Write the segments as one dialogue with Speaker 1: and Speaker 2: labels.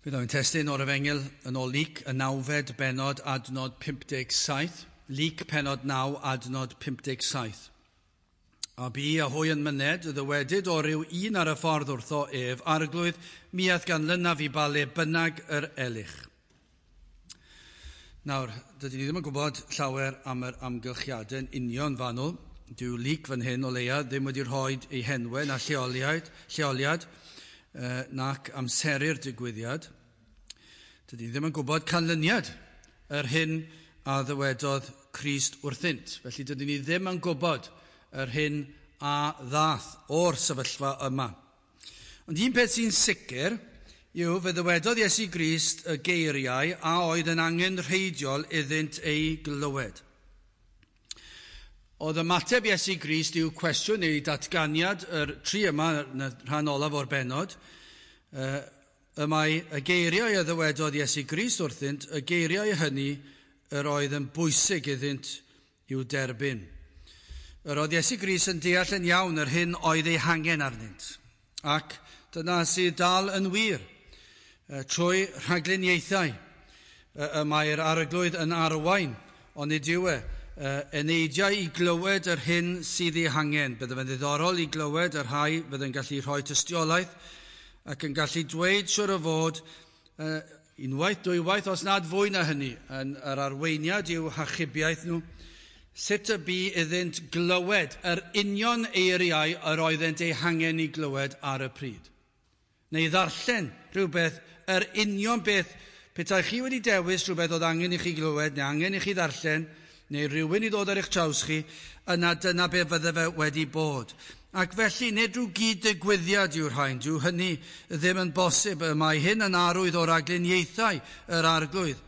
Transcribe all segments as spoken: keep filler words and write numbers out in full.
Speaker 1: Bydd o'n testun o'r Efengyl yn ôl Luc, y nawfed bennod, adnod pump deg saith. Luc pennod naw, adnod pump deg saith. A bu a hwy yn myned, ddywedyd o ryw un ar y ffordd wrtho ef, Arglwydd, mi ath ganlynaf i ba le bynnag yr elych. Nawr, dydyn ni ddim yn gwybod llawer am yr amgylchiadau'n union fanwl. Dyw Luc fan hyn o leia ddim wedi rhoi ei henwau na lleoliad, lleoliad nac amseru'r digwyddiad. Dydyn ni ddim yn gwybod canlyniad yr hyn a ddywedodd Crist wrthynt. Felly dydyn ni ddim yn gwybod yr hyn a ddath o'r sefyllfa yma. Ond un peth sy'n sicr yw fe ddywedodd Iesu Grist y geiriau a oedd yn angenrheidiol iddynt ei glywed. Oedd ymateb Iesu Grist i'w cwestiwn neu datganiad yr tri yma yn y rhan olaf o'r bennod, y mae y geiriau a ddywedodd Iesu Grist wrthynt, y geiriau hynny yr oedd yn bwysig iddynt i'w derbyn. Yr oedd Iesu Grist yn deall yn iawn yr hyn oedd ei hangen arnynt, ac dyna sydd dal yn wir. Trwy rhagluniaethau y mae'r Arglwydd yn arwain, ond nid yw e eneidiau i glywed yr hyn sydd ei hangen. Bydde fe'n ddiddorol i glywed y rhai fydd yn gallu rhoi tystiolaeth ac yn gallu dweud siwr o fod unwaith, dwywaith, os nad fwy na hynny, yn yr arweiniad i'w hachubiaeth nhw, sut y bu iddynt glywed yr union eiriau yr oeddent eu hangen i glywed ar y pryd. Neu ddarllen rhywbeth, yr union beth, petai chi wedi dewis rhywbeth oedd angen i chi glywed, neu angen i chi ddarllen, neu rhywun i ddod ar eich traws chi, yna dyna be fydde fe wedi bod. Ac felly, nid rhyw gyd-ddigwyddiad yw'r rhain, dyw hynny ddim yn bosib. Mae hyn yn arwydd o ragluniaethau yr Arglwydd.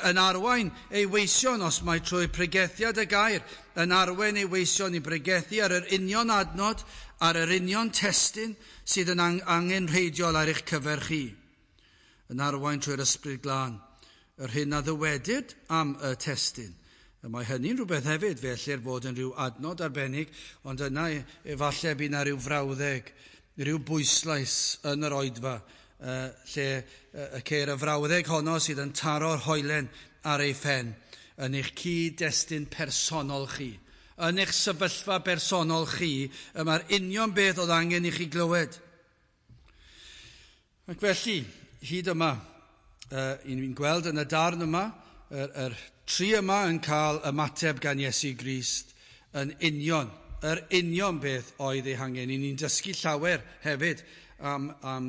Speaker 1: Yn arwain ei weision, os mae trwy pregethiad y gair, yn arwain ei weision i bregethu ar yr union adnod, ar yr union testun sydd yn angenrheidiol ar eich cyfer chi. Yn arwain trwy'r Ysbryd Glân, yr hyn a ddywedyd am y testun. Mae hynny'n rhywbeth hefyd, fe ellir fod yn rhyw adnod arbennig, ond yna efallai bydd yna rhyw frawddeg, rhyw bwyslais yn yr oedfa, lle y ceir y frawddeg honno sydd yn taro'r hoelen ar ei phen, yn eich cyd-destun personol chi. Yn eich sefyllfa bersonol chi, y mae'r union beth oedd angen i chi glywed. Ac felly, hyd yma, uh, ni'n gweld yn y darn yma, yr, yr tri yma yn cael ymateb gan Iesu Grist yn union, yr union beth oedd ei hangen. Ni'n dysgu llawer hefyd am, am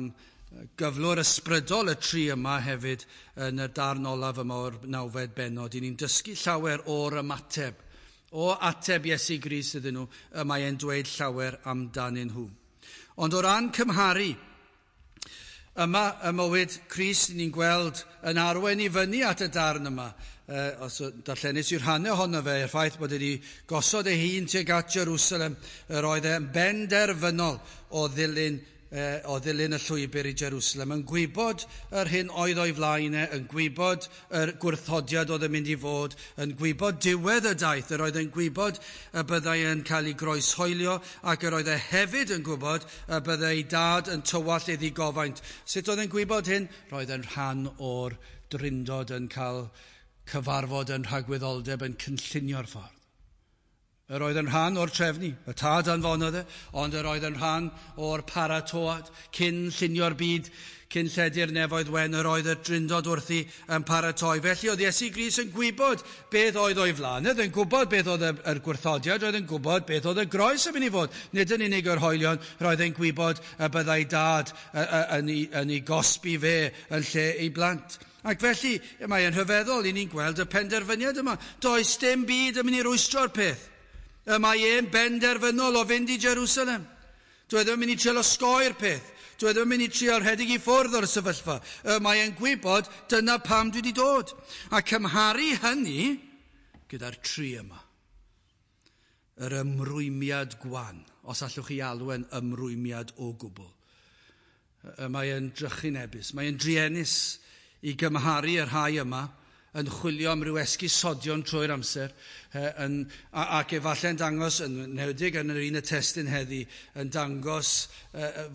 Speaker 1: gyflwr ysbrydol y tri yma hefyd yn y darn olaf yma o'r nawfed bennod. Ni'n dysgu llawer o'r ymateb, o ateb Iesu Grist iddyn nhw, y mae e'n dweud llawer amdanyn nhw. Ond o ran cymharu, yma y mywyd Crist ni'n gweld yn arwain i fyny at y darn yma. Uh, os darllenis i'r rhannau ohono fe, y ffaith bod wedi gosod ei hun tuag at Jerusalem, yr oedd e'n benderfynol o ddilyn, uh, o ddilyn y llwybr i Jerusalem, yn gwybod yr hyn oedd o'i flaen e, yn gwybod yr gwrthodiad oedd yn mynd i fod, yn gwybod diwedd y daith, yr oedd yn gwybod y byddai yn cael ei groeshoelio, ac yr oedd e hefyd yn gwybod y byddai ei dad yn tywallt iddi gofaint. Sut oedd yn gwybod hyn? Roedd yn rhan o'r drindod yn cael cyfarfod yn rhagwyddoldeb yn cynllunio'r ffordd. Yr oedd yn rhan o'r trefnu, y tad anfonodd e, ond yr oedd yn rhan o'r paratoad, cyn llunio'r byd, cyn lledu'r nefoedd wen, yr oedd y drindod wrthi yn paratoi. Felly oedd Iesu Grist yn gwybod beth oedd o'i flaen, oedd yn gwybod beth oedd yr gwrthodiad, oedd yn gwybod beth oedd y groes yn mynd i fod. Nid yn unig yr hoelion, roedd yn gwybod y byddai dad yn ei, yn ei gosbi fe yn lle ei blant. Ac felly, mae e'n rhyfeddol i ni'n gweld y penderfyniad yma. Does dim byd yn mynd i rwystro'r peth. Y mae e'n benderfynol o fynd i Jerusalem. Dwi ddim yn mynd i trio osgoi'r peth. Dwi ddim yn mynd i trio rhedeg i ffwrdd o'r sefyllfa. Y mae e'n gwybod dyna pam dwi wedi dod. A cymharu hynny gyda'r tri yma. Yr ymrwymiad gwan, os allwch chi alw e'n ymrwymiad o gwbl. Y mae e'n drychinebus, mae e'n druenus i gymharu y rhai yma yn chwilio am ryw esgusodion trwy'r amser, yn, ac efallai yn dangos, yn enwedig yn yr un y testun heddi, yn dangos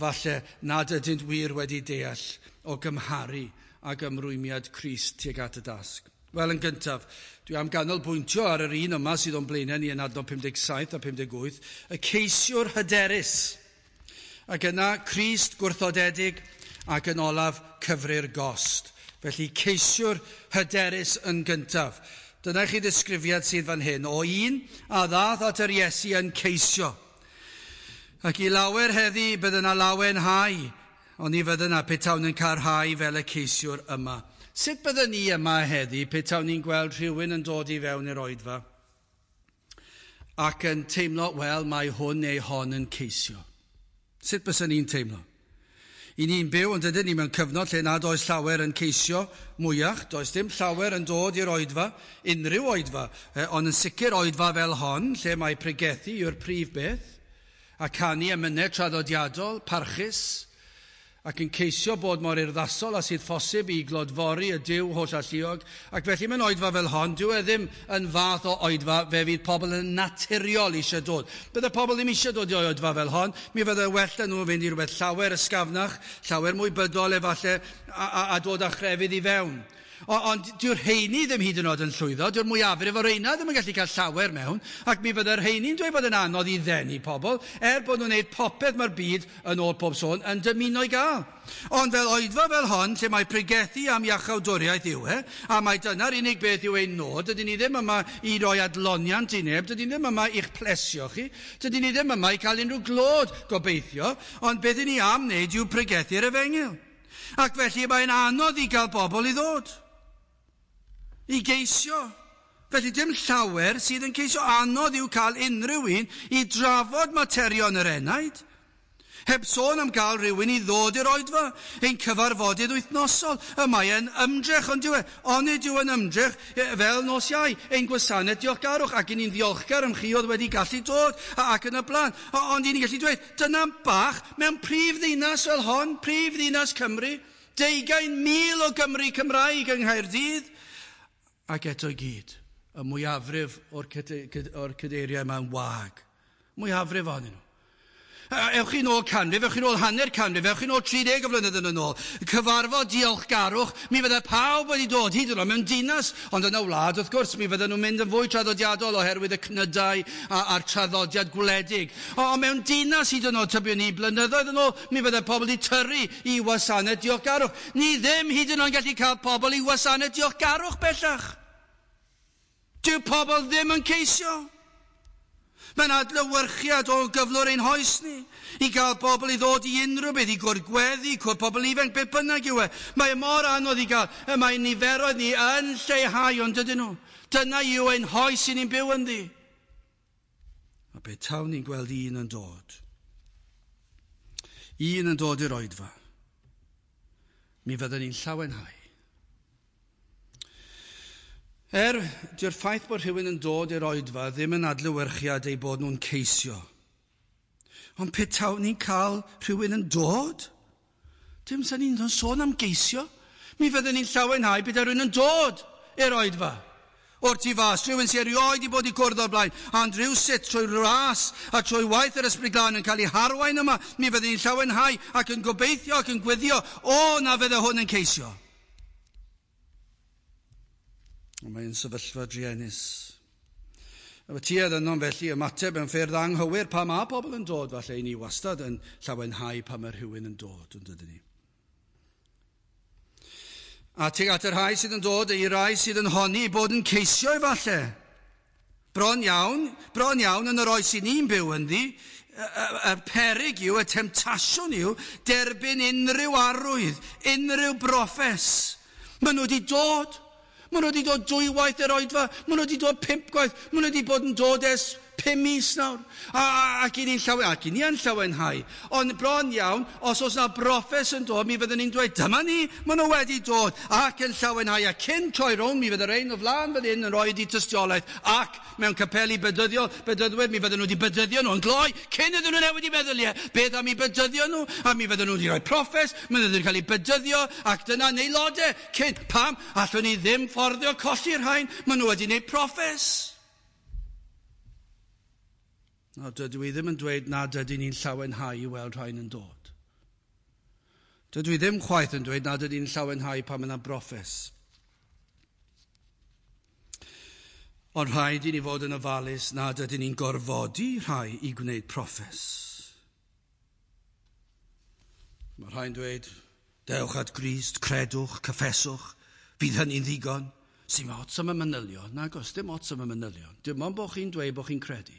Speaker 1: falle nad ydynt wir wedi deall o gymharu ac ymrwymiad Crist tuag at y dasg. Wel, yn gyntaf, dwi am ganolbwyntio ar yr un yma sydd o'n blaenau ni yn adnod pum deg saith a pum deg wyth, y ceisiwr hyderus. Ac yna Crist gwrthodedig ac yn olaf cyfri'r gost. Felly ceisiwr hyderus yn gyntaf. Dyna chi ddisgrifiad sydd fan hyn o un a ddath at yr Iesu yn ceisio. Ac i lawer heddi bydd yna lawenhau, ond ni fydd yna petawn yn cael rhai fel y ceisiwr yma. Sut byddwn ni yma heddi petawn ni'n gweld rhywun yn dod i fewn i'r oedfa ac yn teimlo, wel, mae hwn neu hon yn ceisio? Sut byswn ni'n teimlo? I ni'n byw yn dydyn ni mewn cyfnod lle nad oes llawer yn ceisio mwyach, does dim llawer yn dod i'r oedfa, unrhyw oedfa, ond yn sicr oedfa fel hon, lle mae pregethu yw'r prif beth, a canu emynau traddodiadol, parchus, ac yn ceisio bod mor urddasol a sydd phosib i glodfori y Duw holl alluog. Ac felly mewn oedfa fel hon, dyw e ddim yn fath o oedfa fe fydd pobl yn naturiol eisiau dod. Bydde pobl ddim eisiau dod i oedfa fel hon, mi fydde well da nhw fynd i rhywbeth llawer ysgafnach, llawer mwy bydol efallai, a, a, a dod â chrefydd i fewn. O, ond dyw'r rheini ddim hyd yn oed yn llwyddo, dyw'r mwyafrif o'r rheina ddim yn gallu cael llawer mewn, ac mi fydde'r rheini'n dweud bod yn anodd i ddenu pobl, er bod nhw'n gwneud popeth mae'r byd, yn ôl pob sôn, yn dymuno i gael. Ond fel oedfa fel hon, lle mae pregethu am iachawdwriaeth yw e, a mae dyna'r unig beth yw ein nod, dydyn ni ddim yma i roi adloniant i neb, dydyn ni ddim yma i'ch plesio chi, dydyn ni ddim yma i cael unrhyw glod gobeithio, ond beth ni am wneud yw pregethu'r efengyl. Ac felly mae'n anodd i gael bobl i ddod, i geisio. Felly dim llawer sydd yn ceisio, anodd yw cael unrhyw un i drafod materion yr enaid. Heb sôn am gael rhywun i ddod i'r oedfa, ein cyfarfodydd wythnosol. Y mae e'n ymdrech, ond dyw e, onid yw yn ymdrech fel nos Iau, ein gwasanaeth diolchgarwch, ac i ni'n ddiolchgar am chi oedd wedi gallu dod, ac yn y blaen. Ond i ni'n gallu dweud, dyna bach mewn prif ddinas fel hon, prif ddinas Cymru, deugain mil o Gymru Cymraeg yng Nghaerdydd, ac eto i gyd, y mwyafrif o'r, o'r cadeiriau yma'n wag. Mwyafrif ohonyn nhw. Ewch chi'n ôl canrif, ewch chi'n ôl hanner canrif, ewch chi'n ôl tri deg o flynyddoedd yn ôl. Cyfarfod diolchgarwch, mi fydde pawb wedi dod hyd yn oed mewn dinas, ond yn y wlad, wrth gwrs, mi fydden nhw'n mynd yn fwy traddodiadol oherwydd y cnydau a'r traddodiad gwledig. Ond mewn dinas hyd yn oed, tybiwn ni, blynyddoedd yn ôl, mi fydde pobl wedi tyrru i wasanaeth diolchgarwch. Ni ddim hyd yn oed yn gallu cael pobl i wasanaeth diolchgarwch bellach. Dyw pobl ddim yn ceisio. Mae'n adlewyrchiad o gyflwr ein hoes ni, i gael pobl i ddod i unrhyw beth, i gwrdd-gweddi, cwrdd pobl ifanc, beth bynnag yw e. Mae mor anodd i gael, y mae niferoedd ni yn lleihau, ond dydyn nhw. Dyna yw ein hoes i ni'n byw ynddi. A be tawn ni'n gweld un yn dod, un yn dod i'r oedfa, mi fydden ni'n llawenhau. Er, dyw'r ffaith bod rhywun yn dod i'r oedfa ddim yn adlewyrchiad eu bod nhw'n ceisio. Ond petawn ni'n cael rhywun yn dod, dim sy'n ni'n sôn am geisio. Mi fydden ni'n llawenhau bydd rhywun yn dod i'r oedfa. O'r tu fas, rhywun sy'n erioed i bod i gwrdd o'r blaen, ond rhywsut trwy ras a trwy waith yr Ysbryd Glân yn cael ei harwain yma, mi fydden ni'n llawenhau ac yn gobeithio ac yn gweddio, o na fydde hwn yn ceisio. Ond mae'n sefyllfa druenus. A tuedd yno'n felly ymateb yn ffyrdd anghywir pa mae pobl yn dod, falle i ni wastad yn llawenhau pa mae rhywun yn dod, yn dydyn ni. A tuag at y rhai sydd yn dod, i rai sydd yn honni bod yn ceisio efallai. Bron iawn, bron iawn yn yr oes i ni'n byw ynddi, y, y, y peryg yw, y temtasiwn yw, derbyn unrhyw arwydd, unrhyw broffes. Maen nhw wedi dod. Maen nhw wedi dod dwywaith yr oedfa, maen nhw wedi dod pump gwaith, maen nhw wedi bod yn dod ers pum mis nawr. A, a, ac i ni'n llawen, ac i ni yn llawenhau. Ond bron iawn, os oes na broffes yn dod, mi fydden ni'n dweud, dyma ni, maen nhw wedi dod, ac yn llawenhau. A cyn troi rownd, mi fydde rhain o flaen fan hyn yn rhoi di tystiolaeth, ac mewn capeli bedyddiol, bedyddwyr, mi fydden nhw wedi bedyddio nhw yn gloi, cyn iddyn nhw newid i meddyliau, beth am i bedyddio nhw, a mi fydden nhw wedi rhoi proffes, mi fydden nhw wedi cael eu bedyddio, ac dyna aelodau, cyn, pam, allwn ni ddim fforddio colli'r rhain, maen nhw wedi gwneud proffes. Nawr, dydw i ddim yn dweud nad ydyn ni'n llawenhau i weld rhain yn dod. Dydw i ddim chwaith yn dweud nad ydy'n llawenhau pan mae yna broffes. Ond rhaid i ni fod yn ofalus nad ydyn ni'n gorfodi rhai i gwneud proffes. Mae rhai'n dweud, dewch at Grist, credwch, cyffeswch, fydd hynny'n ddigon. Sy'n ots am y manylion? Nag oes, dim ots am y manylion. Dim ond bod chi'n dweud bod chi'n credu.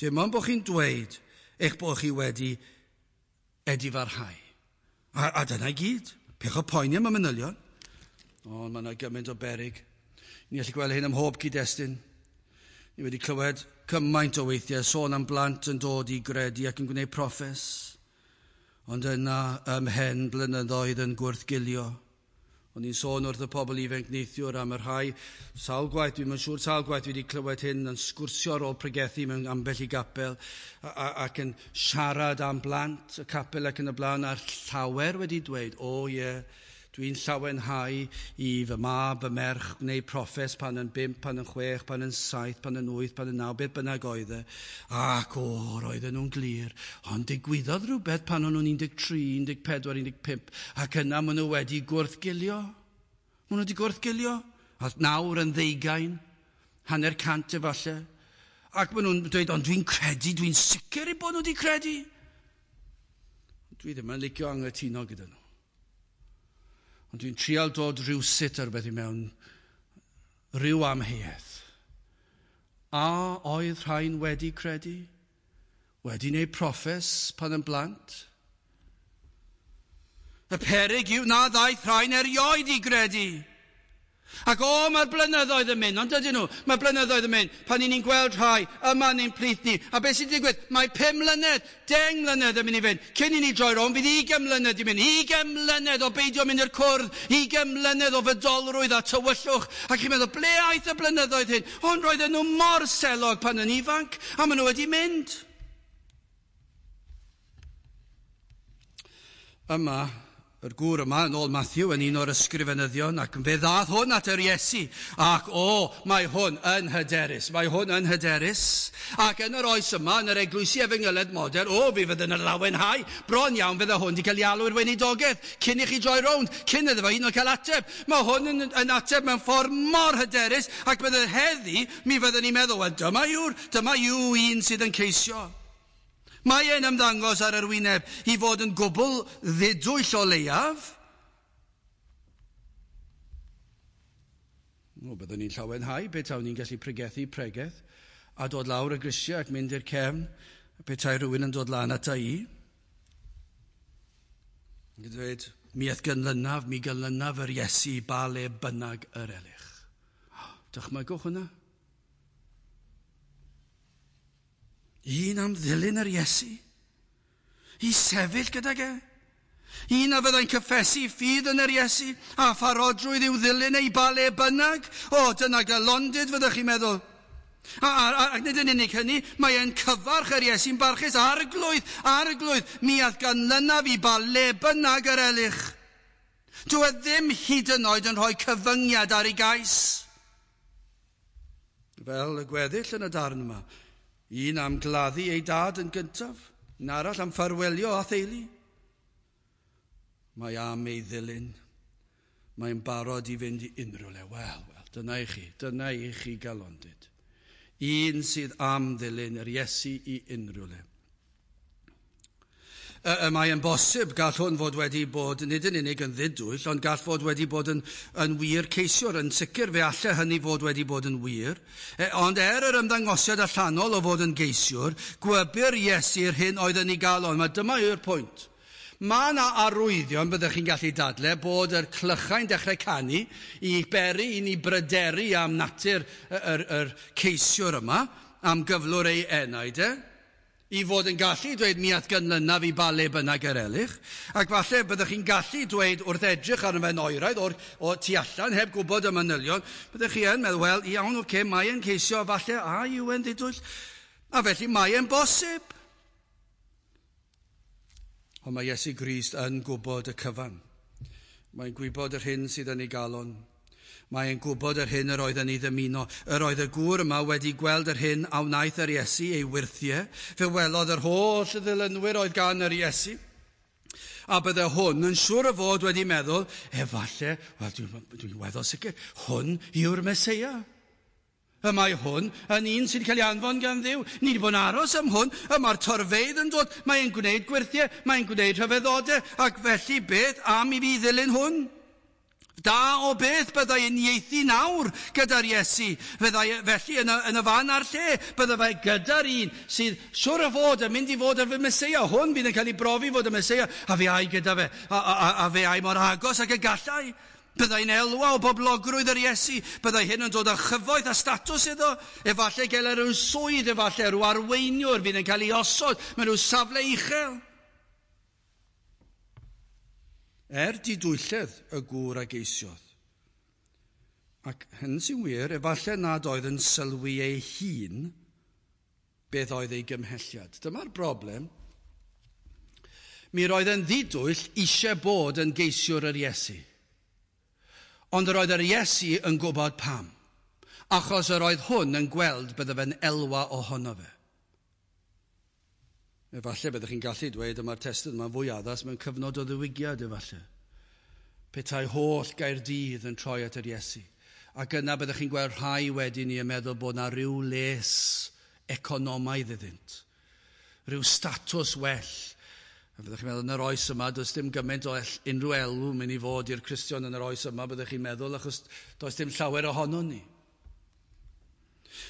Speaker 1: Dim ond bod chi'n dweud eich bod chi wedi edifarhau. A, a dyna i gyd. Peidiwch â poeni am y manylion. Ond mae yna gymaint o berig. Ni allu gweld hyn ym mhob cyd-destun. Ni wedi clywed cymaint o weithiau sôn am blant yn dod i gredu ac yn gwneud proffes. Ond yna ymhen blynyddoedd yn gwrthgilio. O'n i'n sôn wrth y pobl ifanc neithiwr am y rhai sawl gwaith, dwi'n yn siŵr sawl gwaith dwi wedi clywed hyn yn sgwrsio ar ôl pregethu mewn ambell i gapel ac yn siarad am blant y capel ac yn y blaen, a'r llawer wedi dweud, o ie, yeah, dwi'n llawenhau i fy mab, fy merch, gwneud proffes pan yn bump, pan yn chwech, pan yn saith, pan yn wyth, pan yn naw, beth bynnag oedd e. Ac o, roedden nhw'n glir. Ond digwyddodd rhywbeth pan o'n nhw'n un deg tri, un deg pedwar, un deg pump, ac yna maen nhw wedi gwrthgilio. Maen nhw wedi gwrthgilio. A nawr yn ddeugain, hanner cant efallai. Ac maen nhw'n dweud, ond dwi'n credu, dwi'n sicr eu bod nhw wedi credu. Dwi ddim yn licio anghytuno gyda nhw. Ond dwi'n trial dod rhywsut ar rhywbeth i mewn, rhyw amheuaeth. A oedd rhain wedi credu? Wedi wneud proffes pan yn blant? Y peryg yw na ddaeth rhain erioed i gredu. Ac o, mae'r blynyddoedd yn mynd, ond dydyn nhw, mae'r blynyddoedd yn mynd, pan ni'n gweld rhai yma yn ein plith ni. A beth sy'n digwydd? Mae pum mlynedd, deng mlynedd yn mynd i fynd. Cyn i ni droi rownd, fydd ugain mlynedd i mynd. Ugain mlynedd o beidio mynd i'r cwrdd, ugain mlynedd o fydolrwydd a tywyllwch. Ac chi'n meddwl, ble aeth y blynyddoedd hyn? Ond roedden nhw mor selog pan yn ifanc, a maen nhw wedi mynd. Yma, yr gŵr yma, yn ôl Matthew, yn un o'r ysgrifenyddion, ac fe ddath hwn at yr Iesu, ac o, mae hwn yn hyderus, mae hwn yn hyderus. Ac yn yr oes yma, yn yr eglwysi efengylaidd modern, o, fi fydd yn lawenhau, bron iawn fydde hwn wedi cael ei alw i'r weinidogaeth, cyn i chi droi rownd, cyn iddo fo hyd yn oed cael ateb. Mae hwn yn, yn ateb mewn ffordd mor hyderus, ac bydde heddi, mi fydden ni'n meddwl, wel, dyma yw'r, dyma yw un sydd yn ceisio. Mae e'n ymddangos ar yr wyneb i fod yn gwbl ddidwyll o leiaf. O, byddwn ni'n llawenhau pe tawn ni'n gallu pregethu pregeth a dod lawr y grisiau ac mynd i'r cefn, petai rhywun yn dod lan ata i. Yn dweud, mi a'th ganlynaf, mi ganlynaf yr Iesu ba le bynnag yr elych. Dychmygwch hwnna. Un am ddilyn yr Iesu, i sefyll gydag e. Un a fyddai'n cyffesu ffydd yn yr Iesu, a pharodrwydd i'w ddilyn ei ba le bynnag. O, dyna galondid fyddwch chi'n meddwl. A, a, a, ac nid yn unig hynny, mae e'n cyfarch yr Iesu'n barchus, arglwydd, arglwydd, mi a'th ganlynaf i ba le bynnag yr elych. Dyw e ddim hyd yn oed yn rhoi cyfyngiad ar ei gais. Fel y gweddill yn y darn yma, un am gladdu ei dad yn gyntaf, un arall am ffarwelio â theulu. Mae am ei ddilyn. Mae'n barod i fynd i unrhyw le. Wel, wel, dyna i chi, dyna i chi galondid. Un sydd am ddilyn yr Iesu i unrhyw le. Y mae'n bosib gall hwn fod wedi bod nid yn unig yn ddidwyll, ond gall fod wedi bod yn, yn wir ceisiwr. Yn sicr fe alle hynny fod wedi bod yn wir. E, ond er yr ymddangosiad allanol o fod yn geisiwr, gwybyr Iesu'r hyn oedd yn ei galon. Mae dyma yw'r pwynt. Mae yna arwyddion, byddwch chi'n gallu dadle, bod yr clychau'n dechrau canu i beri i ni bryderu am natur yr, yr, yr ceisiwr yma, am gyflwr ei enaid e, i fod yn gallu dweud mi a'th ganlynaf i ba le bynnag yr elych, ac falle byddwch chi'n gallu dweud wrth edrych arno fe'n oeraidd o'r, o tu allan, heb gwybod y manylion, byddwch chi yn meddwl, wel, iawn, oce, okay, mae e'n ceisio, falle, a yw e'n ddidwyll, a felly mae e'n bosib. Ond mae Iesu Grist yn gwybod y cyfan. Mae'n gwybod yr hyn sydd yn ei galon. Mae'n gwybod yr hyn yr oedd yn ei ddymuno. Yr oedd y gŵr yma wedi gweld yr hyn a wnaeth yr Iesu ei wyrthiau. Fe welodd yr holl ddilynwyr oedd gan yr Iesu. A bydde hwn yn siŵr o fod wedi meddwl, efallai, wel dwi'n dwi weddol sicr, hwn yw'r Meseia. Y mae hwn yn un sy'n cael ei anfon gan Dduw. Ni wedi bod yn aros am hwn, y mae'r torfeydd yn dod, mae'n gwneud gwyrthiau, mae'n gwneud rhyfeddodau, ac felly beth am i fi ddilyn hwn? Da o beth byddai uniaethu nawr gyda'r Iesu. Fyddai felly yn y, yn y fan a'r lle, byddai fe gyda'r un sydd siwr o fod yn mynd i fod yn fy Meseia. Hwn fydd yn cael ei brofi fod y Meseia, a fe ai gyda fe, a, a, a fe ai mor agos ac y gallai. Byddai'n elwa o boblogrwydd yr Iesu. Byddai hyn yn dod â chyfoeth a statws iddo. Efallai gael rhyw swydd, efallai rhyw arweiniwr fydd yn cael ei osod mewn rhyw safle uchel. Er didwylledd y gŵr a geisiodd. Ac hyn sy'n wir, efallai nad oedd yn sylwi ei hun beth oedd ei gymhelliad. Dyma'r broblem. Mi roedd yn ddidwyll eisiau bod yn geisiwr yr Iesu. Ond yr oedd yr Iesu yn gwybod pam. Achos yr oedd hwn yn gweld bydde fe'n elwa ohono fe. Efallai byddwch chi'n gallu dweud yma'r testun yma'n fwy addas mewn cyfnod o ddiwygiad efallai. Petai holl Gaerdydd yn troi at yr Iesu. Ac yna byddwch chi'n gweld rhai wedyn ni yn meddwl bod na ryw les economaidd iddynt. Rhyw statws well. A byddwch chi'n meddwl yn yr oes yma, does dim gymaint o unrhyw elw mynd i fod i'r Cristion yn yr oes yma, byddwch chi'n meddwl, achos does dim llawer ohonon ni.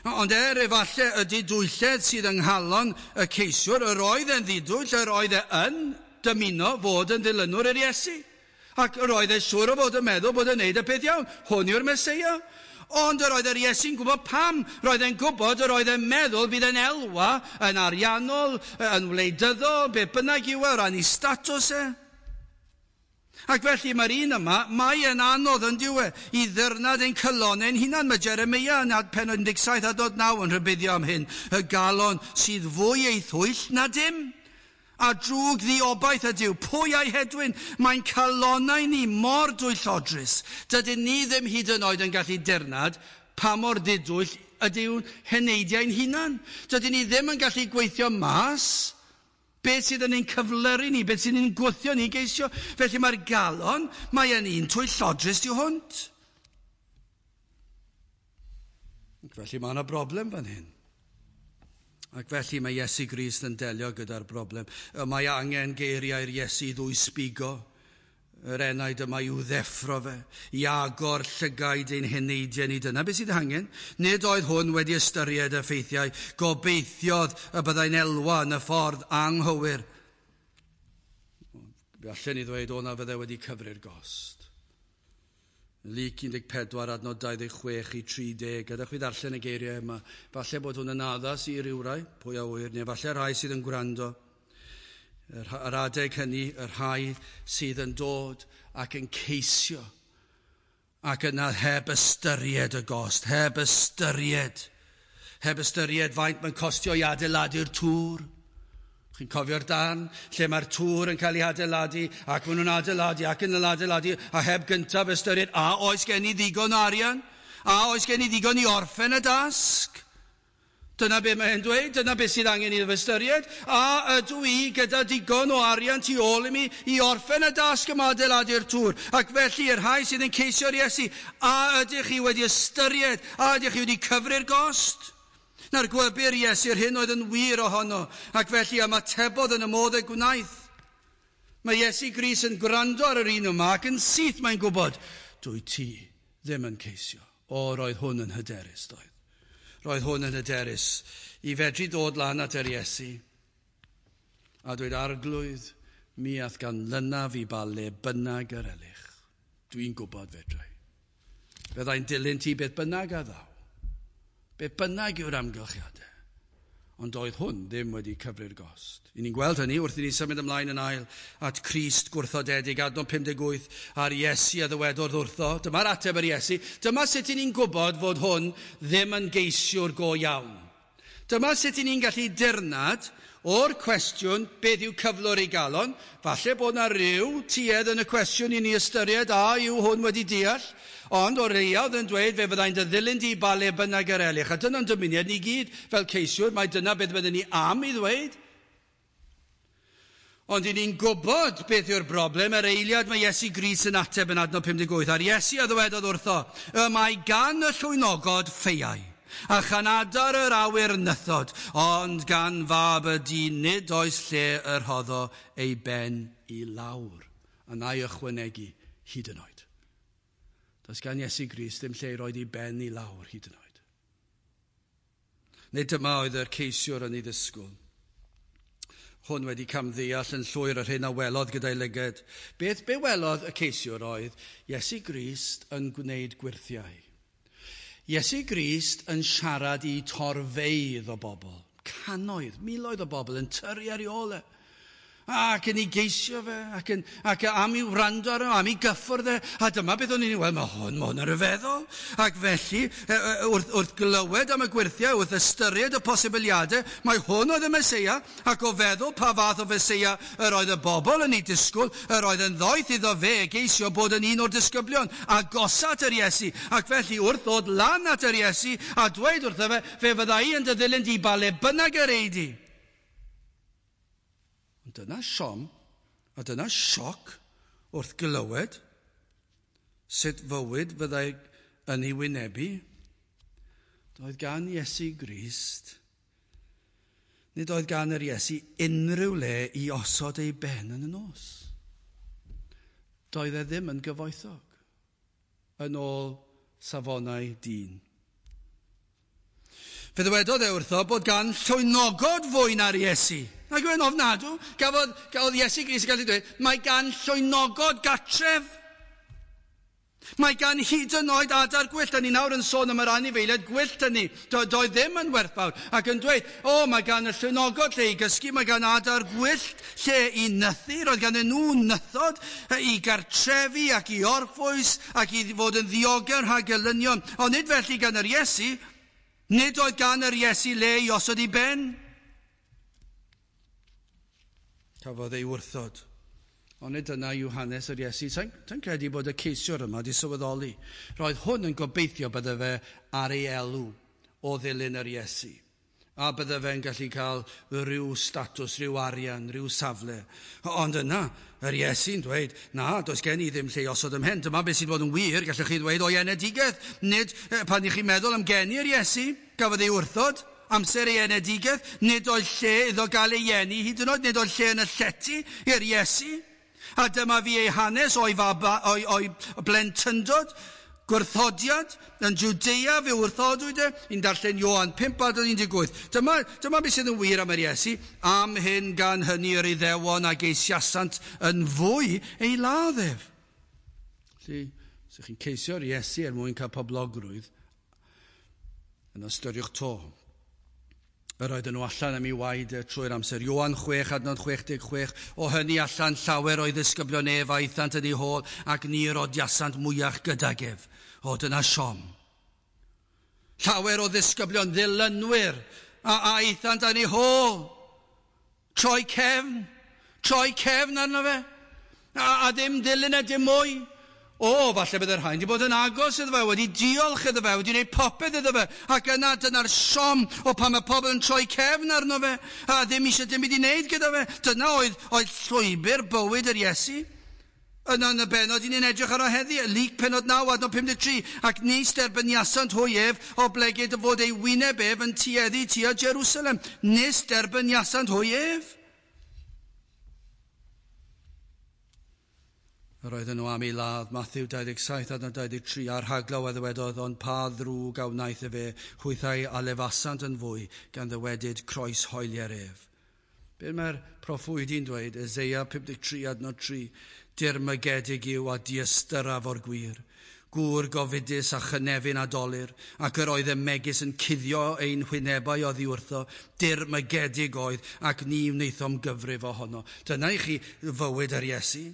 Speaker 1: Ond er efallai y didwylledd sydd yng nghalon y ceisiwr, yr oedd e'n ddidwyll, yr oedd e yn dymuno fod yn ddilynwr i'r Iesu. Ac yr oedd e siŵr o fod yn meddwl bod yn neud y peth iawn. Hwn yw'r Meseia. Ond yr oedd yr Iesu'n gwybod pam. Roedd e'n gwybod, yr oedd e'n meddwl bydd e'n elwa yn ariannol, yn wleidyddol, beth bynnag yw e, o ran ei statws e. Ac felly mae'r un yma, mae yn anodd yn diwe i ddyrnad ein calon ein hunan. Mae Jeremia yn pennod un deg saith adnod naw yn rhybuddio am hyn. Y galon sydd fwy ei thwyll na dim. A drwg ddiobaith ydyw, pwy a'i hedwyn? Mae'n calonau ni mor dwyllodrus. Dydyn ni ddim hyd yn oed yn gallu dirnad pa mor ddidwyll ydyw'n heneidiau'n hunan. Dydyn ni ddim yn gallu gweithio mas beth sydd yn ein cyflyru ni, beth sydd yn ein gwthio ni geisio. Felly mae'r galon, mae yn un twyllodrus tu hwnt. Ac felly mae yna broblem fan hyn. Ac felly mae Iesu Grist yn delio gyda'r broblem. Mae angen geiriau'r Iesu ddwy sbigo. Yr enaid yma i'w ddeffro fe, i agor llygaid ein heneidiau ni. Dyna beth sydd angen. Nid oedd hwn wedi ystyried y ffeithiau. Gobeithiodd y byddai'n elwa yn y ffordd anghywir. Fe allan ni ddweud o na fydde wedi cyfri'r gost. Luc un deg pedwar adnod dau ddeg chwech i tri deg. Gadewch fi ddarllen y geiriau yma. Falle bod hwn yn addas i rywrai, pwy a ŵyr, neu falle rhai sydd yn gwrando. Yr adeg hynny, y rhai sydd yn dod ac yn ceisio ac yna heb ystyried y gost, heb ystyried, heb ystyried faint mae'n costio i adeiladu'r tŵr. Chi'n cofio'r darn lle mae'r tŵr yn cael ei adeiladu ac maen nhw'n adeiladu ac yn adeiladu a heb gyntaf ystyried, a oes gen i ddigon o arian? A oes gen i ddigon i orffen y dasg? Dyna be mae'n dweud, dyna be sydd angen iddo fe ystyried. A ydw i gyda digon o arian tu ôl i mi i orffen y dasg yma adeiladu'r tŵr. Ac felly, yr rhai sydd yn ceisio'r Iesu, a ydych chi wedi ystyried, a ydych chi wedi cyfri'r gost? Na'r gwybyr Iesu'r hyn oedd yn wir ohono, ac felly ymatebodd yn y modd y gwnaeth. Mae Iesu Grist yn gwrando ar yr un yma ac yn syth mae'n gwybod, dwy ti ddim yn ceisio. O, roedd hwn yn hyderus, doedd. Roedd hwn yn hyderus i fedru dod lan at yr Iesu a dweud, Arglwydd, mi ath ganlynaf i ba le bynnag yr elych. Dwi'n gwybod fedrai. Fyddai'n dilyn ti beth bynnag a ddaw. Beth bynnag yw'r amgylchiadau. Ond doedd hwn ddim wedi cyfri'r gost. I ni'n gweld hynny wrth i ni symud ymlaen yn ail at Crist gwrthodedig, adnod pum deg wyth, a'r Iesu a ddywedodd wrtho. Dyma'r ateb yr Iesu. Dyma sut i ni'n gwybod fod hwn ddim yn geisiwr go iawn. Dyma sut i ni'n gallu dirnad o'r cwestiwn beth yw cyflwr ei galon. Falle bod na ryw tuedd yn y cwestiwn i ni ystyried a yw hwn wedi deall. Ond o'r leiaf yn dweud fe fyddai'n dy ddilyn di ba le bynnag yr elych. A dyna'n dymuniad ni gyd fel ceisiwr, mae dyna beth byddwn ni am i ddweud. Ond i ni'n gwybod beth yw'r broblem, yr eiliad mae Iesu Grist yn ateb yn adnod pum deg wyth, a'r Iesu a ddywedodd wrtho, y mae gan y llwynogod ffeiau, a chan adar yr awyr nythod, ond gan fab y dyn nid oes lle y rhoddo ei ben i lawr. A na i ychwanegu hyd yn oed. Does gan Iesu Grist ddim lle i roed ei ben i lawr hyd yn oed. Nid dyma oedd yr ceisiwr yn ei ddisgwyl. Hwn wedi camddeall yn llwyr yr hyn a welodd gyda'i lygad. Beth be welodd y ceisiwr oedd Iesu Grist yn gwneud gwyrthiau. Iesu Grist yn siarad i torfeydd o bobl, cannoedd, miloedd o bobl yn tyrru ar ei ôl e. Ac yn ei geisio fe, ac, yn, ac am i wrando arno, am i gyffwrdd e. A dyma beth o'n i'n weld, mae hwn, mae hwn yn rhyfeddol. Ac felly, wrth, wrth glywed am y gwyrthiau, wrth ystyried y posibiliadau, mae hwn oedd y Meseia, ac o feddwl pa fath o Feseia yr oedd y bobl yn ei disgwyl, yr oedd yn ddoeth iddo fe geisio bod yn un o'r disgyblion, agosat yr Iesu. Ac felly, wrth ddod lan at yr Iesu, a dweud wrtho fe, fe fydda i yn dy ddilyn di ba le bynnag yr ei di. Ond dyna siom, a dyna sioc wrth glywed sut fywyd fyddai yn ei wynebu. Doedd gan Iesu Grist, nid oedd gan yr Iesu unrhyw le i osod ei ben yn y nos. Doedd e ddim yn gyfoethog, yn ôl safonau dyn. Fe ddywedodd e wrtho bod gan llwynogod fwy na'r Iesu. Ac yn ofnadw, gafodd, gafodd Iesu Grist yn gallu dweud, mae gan llwynogod gatref. Mae gan hyd yn oed adar gwyllt. A ni nawr yn sôn am yr anifeiliaid gwyllt hynny. Do, doedd ddim yn werthfawr. Ac yn dweud, o, mae gan y llwynogod lle i gysgu, mae gan adar gwyllt lle i nythu. Roedd gan nhw nythod i gartrefi ac i orffwys ac i fod yn ddiogel rhag gelynion. Ond nid felly gan yr Iesu. Nid oedd gan yr Iesu le i osod ei ben. Cafodd ei wrthod. Ond nid dyna yw hanes yr Iesu. Sa'n sa credu bod y ceisiwr yma wedi sylweddoli. Roedd hwn yn gobeithio bydde fe ar ei elw o ddilyn yr Iesu. A bydde fe'n gallu cael rhyw statws, rhyw arian, rhyw safle. Ond yna, yr Iesu'n dweud, na, does gen i ddim lle i osod ym mhen. Dyma beth sydd bod yn wir, gallwch chi ddweud o'i enedigaeth. Nid, pan i chi'n meddwl am geni yr Iesu, gafodd ei wrthod, amser ei enedigaeth, nid oedd lle iddo gael ei eni, hyd yn oed, nid oedd lle yn y llety i'r Iesu. A dyma fi ei hanes o'i, faba, o'i, o'i blentyndod, gwrthodiad, yn Jwdea fe wrthodwyd e, i'n darllen Ioan pump adnod un deg wyth. Dyma, dyma beth sydd yn wir am yr Iesu, am hyn gan hynny yr Iddewon a geisiasant yn fwy ei ladd ef. Felly, os ydych chi'n ceisio'r Iesu er mwyn cael poblogrwydd, yn ystyriwch to. Yr oedden nhw allan am ei waed trwy'r amser. Ioan chwech, adnod chwech deg chwech, o hynny allan llawer o'i ddisgyblion ef a aethant yn ei hôl, ac ni rodiasant mwyach gydag ef. O, dyna siom. Llawer o ddisgyblion ddilynwyr a aethant yn ei hôl. Troi cefn, troi cefn arno fe, a, a ddim dilyn e dim mwy. O, falle byddai'r rhain wedi bod yn agos iddo fe, wedi diolch iddo fe, wedi gwneud popeth iddo fe, ac yna dyna'r siom o pan mae pobl yn troi cefn arno fe, a ddim eisiau dim byd i wneud gyda fe. Dyna oedd, oedd llwybr bywyd yr Iesu. Yna yn y bennod, ni'n edrych arno heddi, Luc pennod naw, adnod pum deg tri, ac nis derbyniasant hwy ef, oblegid fod ei wyneb ef yn tueddu tua Jerusalem. Nis derbyniasant hwy ef. Yr oedden nhw am ei ladd, Matthew dau ddeg saith adnod dau ddeg tri, a'r rhaglaw a ddywedodd, ond pa ddrwg a wnaeth efe, hwythau a lefasant yn fwy, gan ddywedyd croes hoelier ef. Be mae'r proffwydi'n dweud, Eseia pum deg tri adnod tri, dirmygedig yw a diystyraf o'r gwir, gŵr gofidus a chynefin a dolur, ac yr oedd y megis yn cuddio ein hwynebau oddi wrtho, dirmygedig oedd, ac ni wnaethom gyfrif ohono. Dyna i chi fywyd yr Iesu.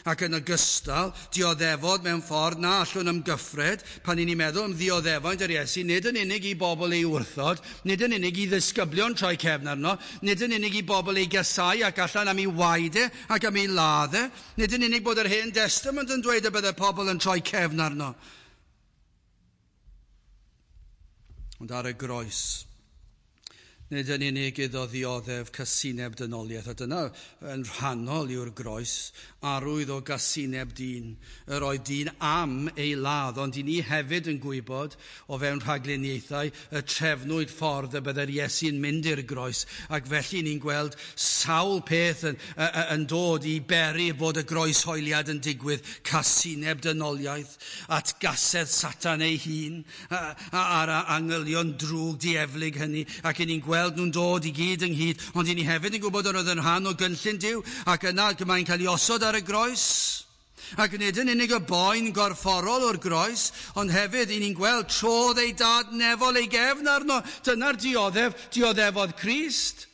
Speaker 1: Ac yn ogystal, dioddefod mewn ffordd na allwn ymgyffred, pan i ni'n meddwl am ddioddefaint yr Iesu, nid yn unig i bobl ei wrthod, nid yn unig i ddisgyblion troi cefn arno, nid yn unig i bobl ei gasau ac allan am ei waed e ac am ei ladd e, nid yn unig bod yr Hen Testament yn dweud y bydde pobl yn troi cefn arno. Ond ar y groes, Nid yn unig iddo ddioddef casineb dynoliaeth, a dyna yn rhannol yw'r groes, arwydd o gasineb dyn. Yr oedd dyn am ei ladd, ond i ni hefyd yn gwybod o fewn rhagluniaethau y trefnwyd ffordd y byddai'r Iesu'n mynd i'r groes, ac felly ni'n gweld sawl peth yn, yn dod i beri fod y groeshoeliad yn digwydd, casineb dynoliaeth, atgasedd Satan ei hun, a'r angylion drwg dieflig hynny, ac i ni'n gweld gweld nhw'n dod i gyd ynghyd, ond i ni hefyd yn gwybod yr oedd yn rhan o gynllun Duw, ac yna mae'n cael ei osod ar y groes. Ac nid yn unig y boen gorfforol o'r groes, ond hefyd i ni'n gweld trodd ei dad nefol ei gefn arno. Dyna'r dioddef, dioddefodd Crist.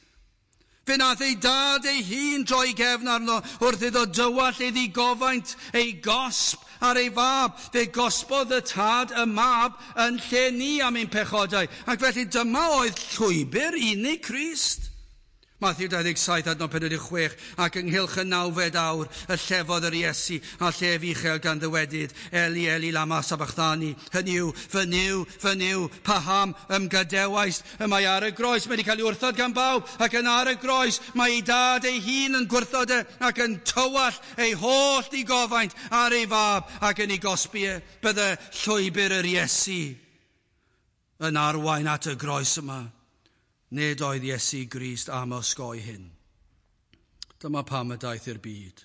Speaker 1: Fe nath ei dad ei hun droi gefn arno wrth iddo dywallt ei ddigofaint, ei gosb ar ei fab. Fe gosbodd y tad y mab yn lle ni am ein pechodau. Ac felly dyma oedd llwybr unig Crist. Mathew dau ddeg saith adnod pedwar deg chwech, ac ynghylch y nawfed awr y llefodd yr Iesu a llef uchel gan ddywedyd, Eli, Eli, lama sabachthani, hynny yw, fy Nuw, fy Nuw, paham ymgadewaist? Y mae ar y groes, mae wedi cael ei wrthod gan bawb, ac yn ar y groes mae ei dad ei hun yn gwrthod e, ac yn tywallt ei holl ddigofaint ar ei fab ac yn ei gosbi e. Bydde llwybr yr Iesu yn arwain at y groes yma. Nid oedd Iesu Grist am osgoi hyn. Dyma pam y daeth i'r byd.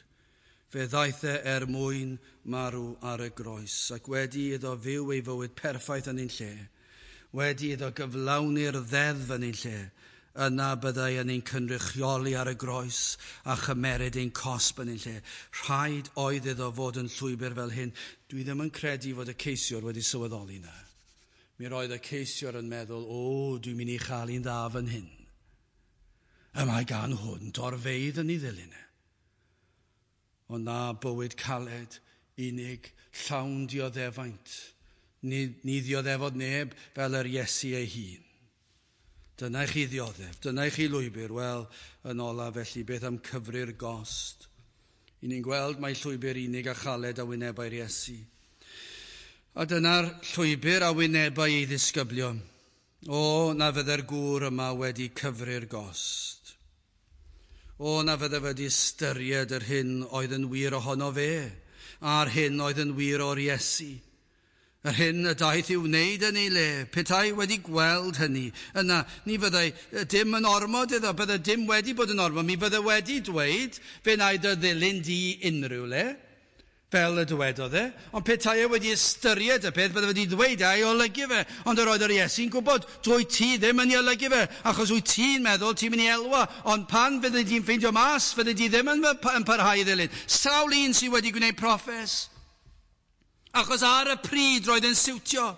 Speaker 1: Fe ddaeth e er mwyn marw ar y groes, ac wedi iddo fyw ei fywyd perffaith yn ein lle, wedi iddo gyflawni'r ddeddf yn ein lle, yna byddai yn ein cynrychioli ar y groes a chymeryd ein cosb yn ein lle. Rhaid oedd iddo fod yn llwybr fel hyn. Dwi ddim yn credu fod y ceisiwr wedi sylweddoli na. Mi roedd y ceisiwr yn meddwl, o, dwi'n mynd i chael un dda fan hyn. Y mae gan hwn dorfeydd yn ei ddilyn e. Ond na bywyd caled, unig, llawn dioddefaint. Ni, ni ddioddefod neb fel yr Iesu ei hun. Dyna i chi ddioddef, dyna i chi lwybr. Wel, yn ola felly, beth am cyfri'r gost? I ni'n gweld mai llwybr unig a chaled a wynebau'r Iesu. A dyna'r llwybr a wynebau ei ddisgyblion. O, na fydde'r gŵr yma wedi cyfri'r gost. O, na fydde wedi ystyried yr hyn oedd yn wir ohono fe, a'r hyn oedd yn wir o'r Iesu. Yr hyn y daeth i'w wneud yn ei le, petai wedi gweld hynny, yna ni fyddai dim yn ormod iddo, bydde dim wedi bod yn ormod, mi fydde wedi dweud, fe wna i dy ddilyn di unrhyw le, fel y dywedodd e, ond petai e wedi ystyried y peth, bydde wedi dweud a'i olygu fe, ond yr oedd yr Iesu'n gwybod, dwy ti ddim yn ei olygu fe, achos wyt ti'n meddwl ti'n mynd i elwa, ond pan fydde di'n ffeindio mas, fydde di ddim yn, yn parhau i ddilyn. Sawl un sydd wedi gwneud proffes, achos ar y pryd roedd yn siwtio.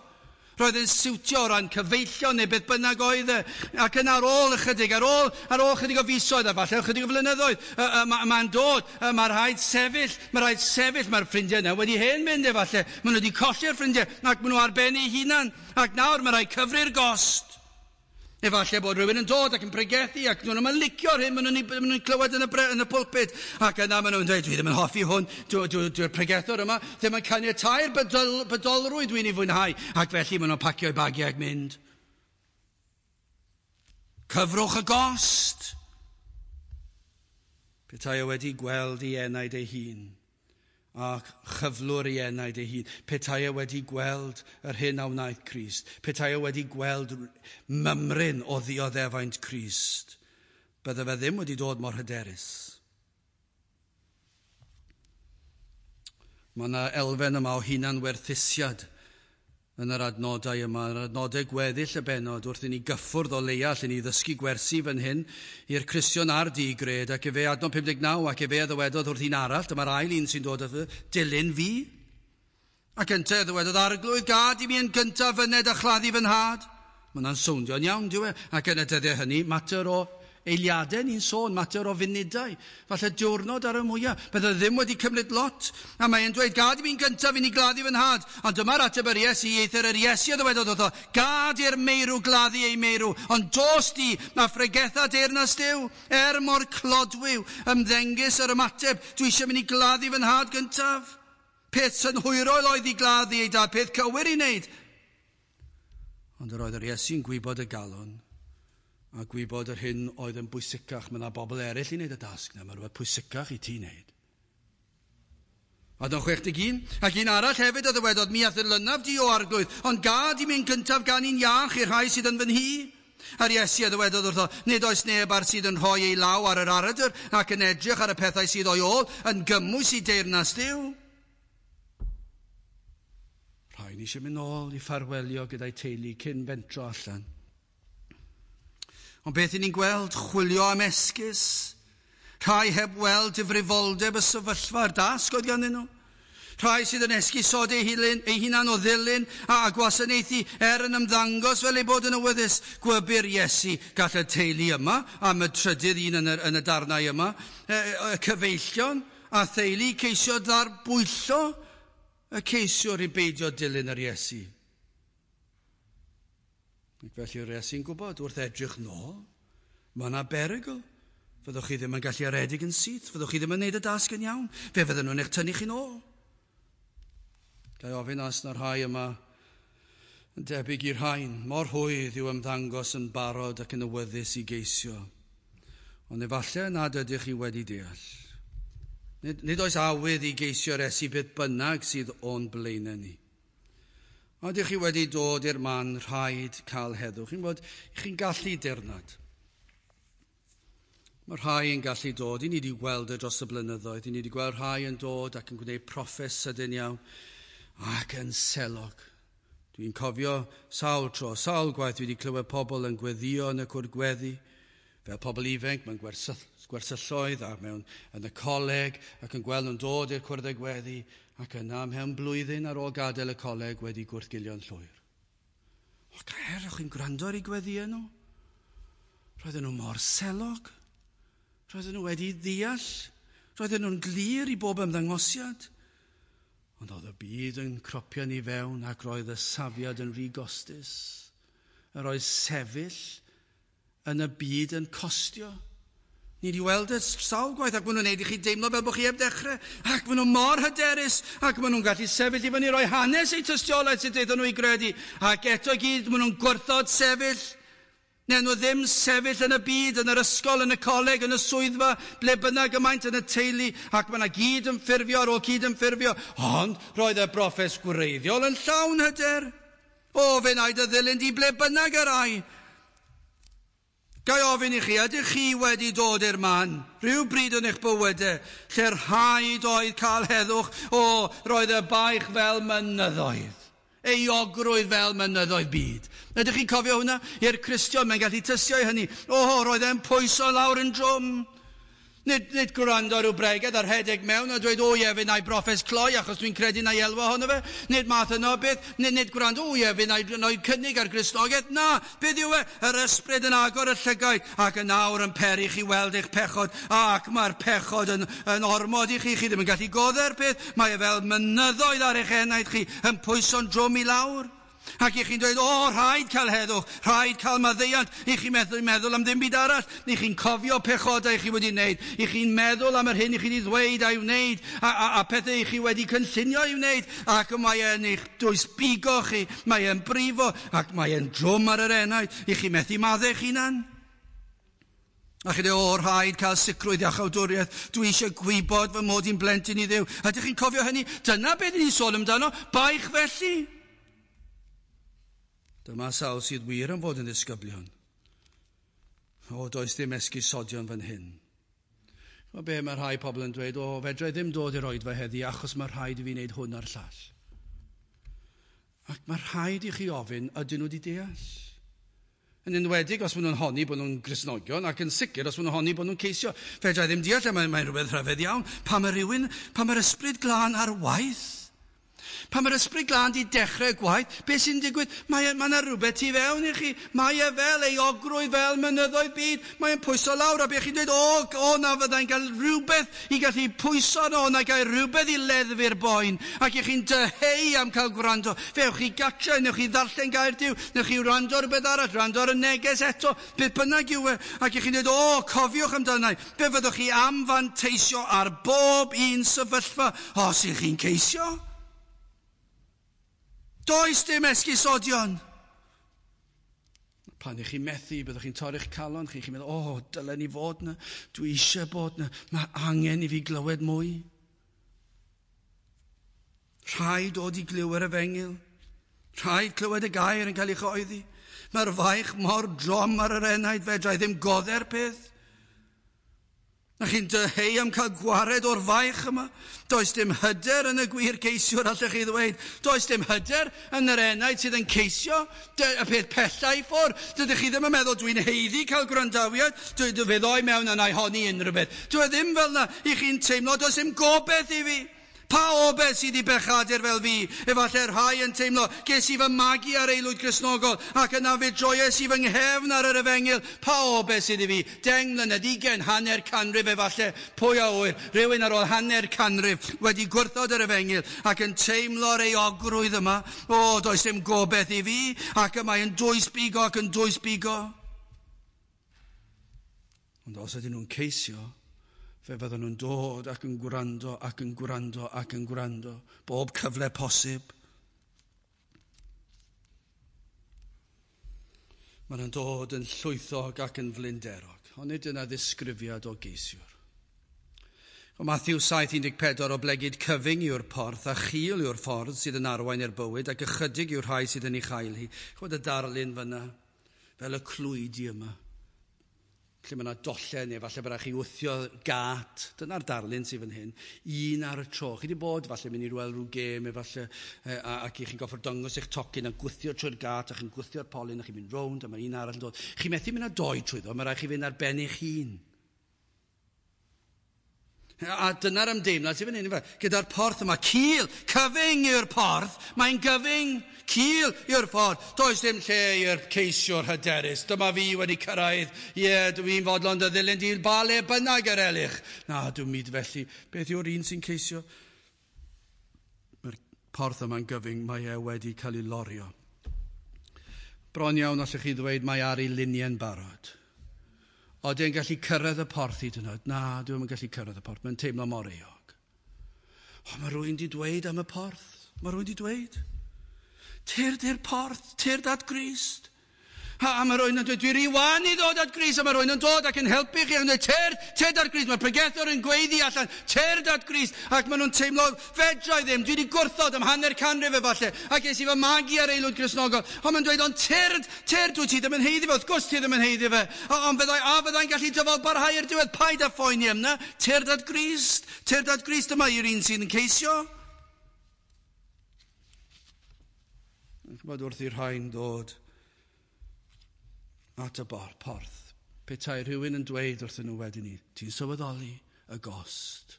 Speaker 1: Roedd yn siwtio o ran cyfeillion neu beth bynnag oedd e. Ac yn ar ôl ychydig, ar ôl, ar ôl ychydig o fisoedd a falle ychydig o flynyddoedd, mae'n ma dod, mae rhaid sefyll, mae rhaid sefyll, mae'r ffrindiau yna wedi hen mynd efallai. Maen nhw wedi colli'r ffrindiau ac maen nhw ar ben eu hunan. Ac nawr mae rhaid cyfri'r gost. Efallai bod rhywun yn dod ac yn pregethu ac nhw'n yn licio'r hyn, maen nhw'n maen nhw clywed yn y, bre, yn y pulpit. Ac yna maen nhw'n dweud, dwi ddim yn hoffi hwn, dwi'n dwi, dwi pregethwr yma, ddim yn caniatáu'r bydol, bydolrwydd dwi'n ei fwynhau. Ac felly maen nhw'n pacio eu bagiau ac mynd. Cyfrwch y gost. Petai o wedi gweld ei enaid ei hun ac chyflwr ei enaid ei hun. Petai e wedi gweld yr hyn a wnaeth Crist. Petai e wedi gweld mymryn o ddioddefaint Crist. Bydde fe ddim wedi dod mor hyderus. Mae yna elfen yma o hunanwerthusiad yn yr adnodau yma, yn yr adnodau gweddill y bennod, wrth i ni gyffwrdd o leia, lle ni ddysgu gwersi fan hyn i'r Cristion a'r digred, ac efe adnod pum deg naw, ac efe a ddywedodd wrth un arall, dyma'r ail un sy'n dod wrth dilyn fi. Ac yntau ddywedodd, Arglwydd, gad i mi yn gyntaf fyned a chladdu fy nhad. Mae hwnna'n sowndio'n iawn, dyw e? Ac yn y dyddiau hynny, mater o eiliadau ni'n sôn, mater o funudau, falle diwrnod ar y mwyaf. Bydde ddim wedi cymryd lot. A mae'n dweud, gad i mi'n gyntaf i ni gladdu fy nhad. Ond dyma'r ateb yr Iesu, eithr yr Iesu a ddywedodd wrtho, gad i'r meirw gladdu ei meirw, ond dos di a phregetha deyrnas Duw, er mor clodwiw, ymddengys yr ymateb, dwi eisiau mynd i gladdu fy nhad gyntaf. Peth synhwyrol oedd i gladdu ei dad, peth cywir i wneud. Ond yr oedd yr Iesu'n gwybod y galon. A gwybod yr hyn oedd yn bwysicach. Mae yna bobl eraill i wneud y dasg na, mae rhywbeth pwysicach i ti wneud. Adnod chwech deg un, ac un arall hefyd a ddywedodd, mi a'th ddilynaf di o arglwydd, ond gad i mi'n gyntaf ganu'n iach i'r rhai sydd yn fy nhŷ. A'r Iesu a ddywedodd wrtho, nid oes neb ar sydd yn rhoi ei law ar yr aradr ac yn edrych ar y pethau sydd o'i ôl yn gymwys i deyrnas Dduw. Rhaid eisiau mynd nôl i ffarwelio gyda'i teulu cyn fentro allan. Ond beth i ni'n gweld? Chwilio am esgus. Rhai heb weld difrifoldeb y sefyllfa a'r dasg oedd ganddyn nhw. Rhai sydd yn esgusodi ei hunan, ei hunan o ddilyn a gwasanaethu er yn ymddangos fel ei bod yn awyddus. Gwybyr Iesu gall y teulu yma, am y trydydd un yn y, yn y darnau yma, y, y cyfeillion a theulu ceisio ddarbwyllo y ceisiwr i beidio dilyn yr Iesu. Ac felly yr Iesu'n gwybod, wrth edrych nôl, mae yna berygl. Fyddwch chi ddim yn gallu aredig yn syth, fyddwch chi ddim yn gwneud y dasg yn iawn, fe fydden nhw'n eich tynnu chi'n ôl. Ga i ofyn os na rhai yma yn debyg i'r rhain, mor hwydd yw ymddangos yn barod ac yn awyddus i geisio. Ond efallai nad ydych chi wedi deall. Nid, nid oes awydd i geisio'r Iesu beth bynnag sydd o'n blaenau ni. Ond ydych chi wedi dod i'r man rhaid cael heddwch. Chi'n bod, chi'n gallu dirnad. Mae rhai yn gallu dod, i ni wedi gweld e dros y blynyddoedd, i ni wedi gweld rhai yn dod ac yn gwneud proffes sydyn iawn ac yn selog. Dwi'n cofio sawl tro, sawl gwaith dwi wedi clywed pobl yn gweddio yn y cwrdd gweddi, fel pobl ifanc mewn gwersylloedd a mewn yn y coleg ac yn gweld nhw'n dod i'r cwrdd gweddi ac yna mewn blwyddyn ar ôl gadael y coleg wedi gwrthgilio'n llwyr. O, gair, o'ch chi'n gwrando ar eu gweddiau nhw? Roedden nhw mor selog. Roedden nhw wedi ddeall. Roedden nhw'n glir i bob ymddangosiad. Ond oedd y byd yn cropio ni fewn ac roedd y safiad yn rhy gostus. Yr oedd sefyll yn y byd yn costio. Ni wedi weld y sawl gwaith ac maen nhw'n neud i chi deimlo fel bod chi heb dechrau. Ac maen nhw mor hyderus ac maen nhw'n gallu sefyll i fyny roi hanes eu tystiolaeth sydd iddyn nhw i gredu. Ac eto i gyd maen nhw'n gwrthod sefyll. Neu nhw ddim sefyll yn y byd, yn yr ysgol, yn y coleg, yn y swyddfa, ble bynnag y maent yn y teulu, ac mae yna gyd yn ffurfio ar ôl cyd yn ffurfio. Ond roedd y broffes gwreiddiol yn llawn hyder. O, fe wna i dy ddilyn di ble bynnag yr ai. Ga i ofyn i chi, ydych chi wedi dod i'r man, rhyw bryd yn eich bywydau, lle rhaid oedd cael heddwch, o, roedd y baich fel mynyddoedd. Euogrwydd fel mynyddoedd byd. Ydych chi'n cofio hwnna? I'r Cristion, mae'n gallu tystio i hynny. O, roedd e'n pwyso lawr yn drwm. Nid, nid gwrando ar ryw bregeth ar rhedeg mewn a dweud, o ie, fe na i broffes cloi achos dwi'n credu na i elwa ohono fe. Nid math yno beth, nid, nid gwrando, o ie, fe na i, na i cynnig ar Gristnogaeth. Na, beth yw e? Yr ysbryd yn agor y llygaid ac yn awr yn peri chi weld eich pechod ac mae'r pechod yn, yn ormod i chi. Chi ddim yn gallu godde'r peth. Mae e fel mynyddoedd ar eich enaid chi yn pwyso'n drwm i lawr. Ac i chi'n dweud, o, rhaid cael heddwch, rhaid cael maddeuant. I chi'n meddwl, meddwl am ddim byd arall. I chi'n cofio pechodau chi wedi wneud. I chi'n meddwl am yr hyn i chi wedi ddweud a'i wneud, a, a, a pethau i chi wedi cynllunio i wneud. Ac mae e'n eich dwysbigo chi, mae e'n brifo, ac mae e'n drwm ar yr enaid. I chi methu maddau eich hunan. A chi dweud, o, rhaid cael sicrwydd iachawdwriaeth. Dwi eisiau gwybod fy mod i'n blentyn i Dduw. Ydych chi'n cofio hynny? Dyna beth ni'n sôn amdano, baich felly. Dyma sawl sydd wir yn fod yn ddisgyblion. O, does dim esgusodion fan hyn. O, be mae rhai pobl yn dweud, o, fedra i ddim dod i'r oedfa heddi achos mae rhaid i fi wneud hwn a'r llall. Ac mae rhaid i chi ofyn, ydyn nhw wedi deall? Yn enwedig os maen nhw'n honni bod nhw'n Gristnogion, ac yn sicr os maen nhw'n honni bod nhw'n ceisio. Fedra i ddim deall, mae'n mae rhywbeth rhyfedd iawn. Pa mae rhywun, pa mae'r ysbryd glân ar waith? Pan mae'r ysbryd glân di dechrau gwaith, beth sy'n digwydd? Mae yna rhywbeth tu fewn i chi. Mae e fel euogrwydd, fel mynyddoedd byd. Mae e'n pwyso lawr, a beth chi'n dweud, o, o, na fyddai'n cael rhywbeth i gallu pwyso no, na gael rhywbeth i leddfu'r boen. Ac i chi'n dyheu am cael gwrando. Fe ewch chi gatre, newch chi ddarllen gair Duw, newch chi wrando ar rhywbeth arall, wrando ar y neges eto, beth bynnag yw e. Ac i chi'n dweud, o, cofiwch amdana i. Fe fyddwch chi am fanteisio ar bob un sefyllfa os ych chi'n ceisio. Does dim esgusodion. Pan ych chi'n methu, byddwch chi'n torri'ch calon chi, chi'n meddwl, o, oh, dylen ni fod yna, dwi eisiau bod yna, mae angen i fi glywed mwy. Rhaid dod i glyw yr efengyl. Rhaid clywed y gair yn cael ei chyhoeddi. Mae'r faich mor drom ar yr enaid, fedra i ddim godde'r peth. Na chi'n dyheu am cael gwared o'r faich yma. Does dim hyder yn y gwir geisiwr, allech chi ddweud. Does dim hyder yn yr enaid sydd yn ceisio y peth pella i ffwrdd. Dydych chi ddim yn meddwl dwi'n haeddu cael gwrandawiad. Dwi, dwi fe ddoi mewn a na i honni unrhyw beth. Dwi ddim fel yna i chi'n teimlo, does dim gobeith i fi. Pa obeith sydd i bechadur fel fi? Efallai rhai yn teimlo, ges i fy magu ar aelwyd Gristnogol ac yna fe droies i fy nghefn ar yr efengyl. Pa obeith sydd i fi? Deng mlynedd, ugain, hanner canrif efallai. Pwy a ŵyr? Rhywun ar ôl hanner canrif wedi gwrthod yr efengyl ac yn teimlo'r euogrwydd yma. O, does dim gobeith i fi, ac y mae yn dwys bigo ac yn dwys bigo. Ond os ydyn nhw'n ceisio, fe fydden nhw'n dod ac yn gwrando ac yn gwrando ac yn gwrando. Bob cyfle posib. Maen nhw'n dod yn llwythog ac yn flinderog. Ond nid yna ddisgrifiad o geisiwr. O Matthew saith un deg pedwar, oblegid cyfyng yw'r porth a chul yw'r ffordd sydd yn arwain i'r bywyd ac ychydig yw'r rhai sydd yn ei chael hi. Chwed y darlun fyna, fel y clwydi yma. Lle mae yna dollau neu falle bod chi wthio gat. Dyna'r darlun sydd fan hyn. Un ar y tro. Chi wedi bod falle mynd i weld rhyw gêm efallai ac i chi'n goffod dangos eich tocyn a gwthio trwy'r gat a chi'n gwthio'r polyn a chi'n mynd rownd a mae un arall yn dod. Chi methu mynd â doi trwyddo, mae rhaid chi fynd ar ben eich hun. A dyna'r ymdeimlad sydd fan hyn. Gyda'r porth yma, cul, cyfyng yw'r porth, mae'n gyfyng, cul yw'r ffordd. Does dim lle i'r ceisiwr hyderus. Dyma fi wedi cyrraedd, ie, yeah, dwi'n fodlon dy ddilyn di ba le bynnag yr elych. Na, dwi'n myd felly. Beth yw'r un sy'n ceisio? Mae'r porth yma'n gyfyng, mae e wedi cael ei lorio. Bron iawn allwch chi ddweud mae ar ei luniau'n barod. Oedden yn gallu cyrraedd y porth hyd yn oed? Na, dwi'm yn gallu cyrraedd y porth. Mae'n teimlo mor euog. O, mae rhywun di dweud am y porth. Mae rhywun di dweud. Tyrd i'r porth, tyrd at Grist. A, a mae rhywun yn dweud, dwi rhy wan i ddod at Grist. A mae rhywun yn dod ac yn helpu chi. Ac yn dweud, tyrd, tyrd at Grist. Mae'r pregethwr yn gweiddi allan, tyrd at Grist. Ac maen nhw'n teimlo, fedra i ddim, dwi wedi gwrthod am hanner canrif efallai. Ac es i fy magu ar aelwyd Gristnogol. Ond mae'n dweud, ond tyrd, tyrd, dwi ti ddim yn haeddu fe. Wrth gwrs ti ddim yn haeddu fe. Ond fyddai, a fyddai'n gallu dyfal barhau i'r diwedd, paid â phoeni am na. Tyrd at Grist, tyrd at Grist, dyma i'r un sydd yn ceisio. Chymod wrth i'r rhain ddod at y bar, porth, petai rhywun yn dweud wrthyn nhw wedyn ni, ti'n sylweddoli y gost.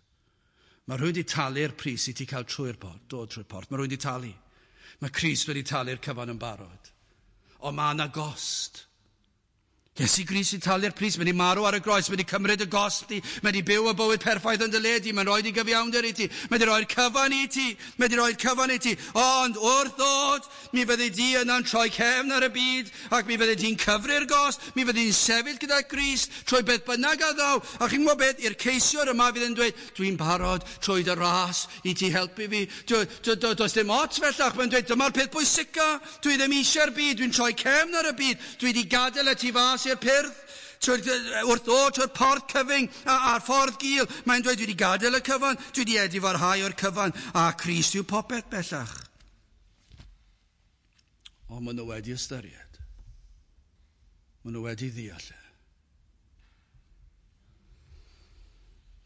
Speaker 1: Mae rhywun wedi talu'r pris i ti cael trwy'r porth, dod trwy'r porth. Mae rhywun wedi talu. Mae Crist wedi talu'r cyfan yn barod. Ond mae yna gost. Iesu Grist wedi talu'r pris, mae wedi marw ar y groes, mae wedi cymryd y gost di, mae wedi byw y bywyd perffaith yn dy le di, mae'n rhoi di gyfiawnder i ti, mae wedi rhoi'r cyfan i ti, mae wedi rhoi'r cyfan i ti. Ond wrth ddod, mi fyddi di yna'n troi cefn ar y byd, ac mi fyddi di'n cyfri'r gost, mi fyddi di'n sefyll gyda Grist, trwy beth bynnag a ddaw. A chi'n gwybod beth, i'r ceisiwr yma fydd yn dweud, dwi'n barod trwy dy ras i ti helpu fi. Does dim ots fellach, mae'n dweud, dyma'r peth bwysica, dwi ddim eisiau'r byd, dwi'n troi cefn ar y byd, dwi wedi gadael y tu fas i'r pyrth, wrth ddod trwy'r porth cyfyng a'r ffordd gul. Mae'n dweud, dwi wedi gadael y cyfan, dwi wedi edifarhau o'r cyfan, a Crist yw popeth bellach. Ond maen nhw wedi ystyried. Maen nhw wedi ddeall.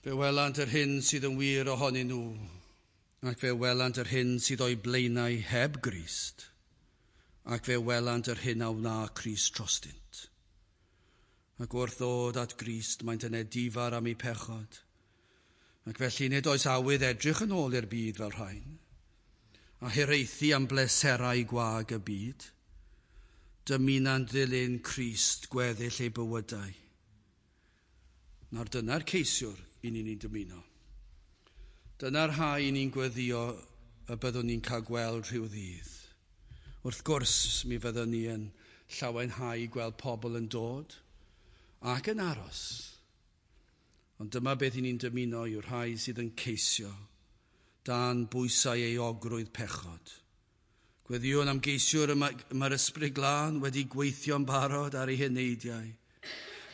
Speaker 1: Fe welant yr hyn sydd yn wir ohonyn nhw, ac fe welant yr hyn sydd o'i blaenau heb Grist, ac fe welant yr hyn a wna Crist drostynt. Ac wrth ddod at Grist, maent yn edifar am eu pechod. Ac felly nid oes awydd edrych yn ôl i'r byd fel rhain, a hiraethu am bleserau gwag y byd. Dymuna'n ddilyn Crist gweddill eu bywydau. Nawr dyna'r ceisiwr i ni'n ni'n dymuno. Dyna'r rhai i ni'n gweddio y byddwn ni'n cael gweld rhyw ddydd. Wrth gwrs, mi fyddwn ni yn llawenhau gweld pobl yn dod ac yn aros. Ond dyma beth i ni'n dymuno yw'r rhai sydd yn ceisio dan bwysau euogrwydd pechod, Gweddïwn am geisiwr y mae'r Ysbryd Glân wedi gweithio'n barod ar eu heneidiau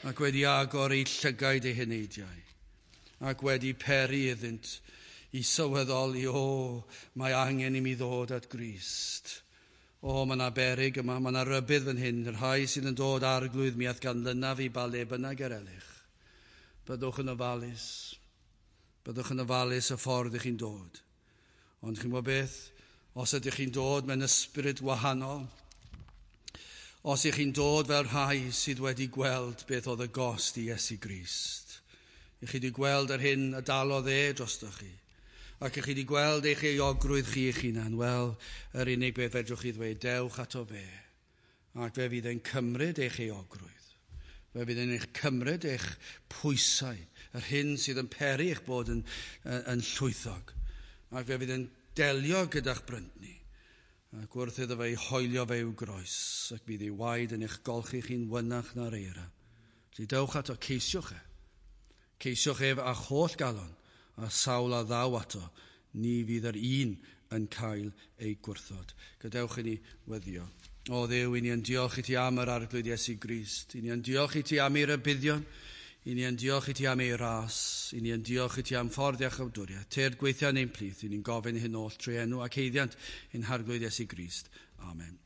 Speaker 1: ac wedi agor eu llygaid eu heneidiau ac wedi peri iddynt i sylweddoli, o, mae angen i mi ddod at Grist. O, mae yna beryg yma, mae yna rybudd fan hyn, y rhai sydd yn dod arglwydd mi a'th ganlynaf i ba le bynnag yr elych. Byddwch yn ofalus. Byddwch yn ofalus y ffordd ych chi'n dod. Ond chi'n gwybod beth? Os ydych chi'n dod mewn ysbryd wahanol, os ych chi'n dod fel rhai sydd wedi gweld beth oedd y gost i Iesu Grist, ych chi wedi gweld yr hyn y dalodd e drostoch chi, ac ych chi wedi gweld eich euogrwydd chi eich hunan, wel, yr unig beth fedrwch chi ddweud, dewch ato fe, ac fe fydd e'n cymryd eich euogrwydd. Fe fydd e'n eich cymryd eich pwysau, yr hyn sydd yn peri eich bod yn, yn, yn llwythog, ac fe fydd e'n delio gyda'ch bryntni, ac wrth iddo fe hoelio fe i'w groes, ac bydd ei waed yn eich golchi chi'n wynach na'r eira. Felly dewch ato, ceisiwch e. Ceisiwch ef â'ch holl galon, a sawl a ddaw ato, ni fydd yr un yn cael ei gwrthod. Gadewch i ni weddio. O Dduw, i ni yn diolch i ti am yr Arglwydd Iesu Grist. I ni yn diolch i ti am ei rybuddion. I ni yn diolch i ti am ei ras. I ni yn diolch i ti am ffordd iachawdwriaeth. Tyrd gweithio yn ein plith. I ni'n gofyn hyn oll trwy enw ac haeddiant ein Harglwydd Iesu Grist. Amen.